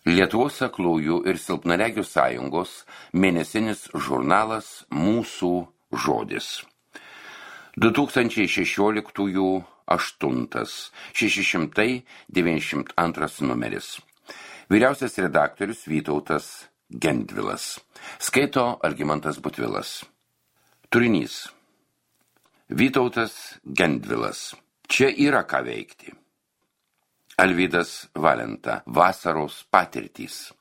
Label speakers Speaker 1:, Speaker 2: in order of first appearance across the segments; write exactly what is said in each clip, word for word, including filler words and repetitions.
Speaker 1: Lietuvos aklųjų ir silpnaregių sąjungos mėnesinis žurnalas Mūsų žodis. du tūkstančiai šešioliktųjų aštuntas, šeši šimtai devyniasdešimt antras numeris. Vyriausias redaktorius Vytautas Gendvilas. Skaito Algimantas Butvilas. Turinys. Vytautas Gendvilas. Čia yra ką veikti. Alvydas Valenta. Vasaros patirtys.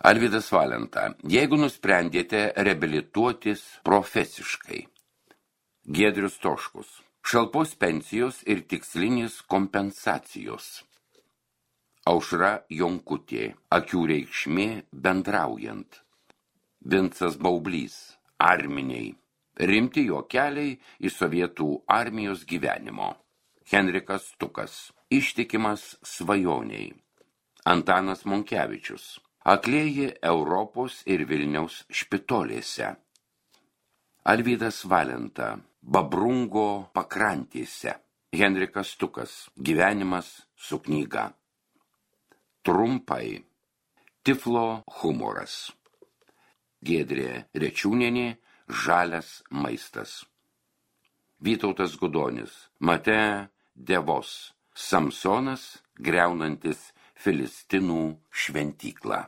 Speaker 1: Alvydas Valenta. Jeigu nusprendėte reabilituotis profesiškai. Giedrius Toškus. Šalpos pensijos ir tikslinės kompensacijos. Aušra Jonkutė. Akių reikšmė bendraujant. Vincas Baublys. Arminiai. Rimti jo keliai į sovietų armijos gyvenimo. Henrikas Stukas. Ištikimas svajoniai. Antanas Monkevičius. Aklieji Europos ir Vilniaus špitolėse. Alvydas Valenta. Babrungo pakrantėse. Henrikas Stukas. Gyvenimas su knyga. Trumpai. Tiflo humoras. Giedrė Rečiūnienė. Žalias maistas. Vytautas Gudonis. Mate Devos. Samsonas, griaunantis Filistinų šventyklą.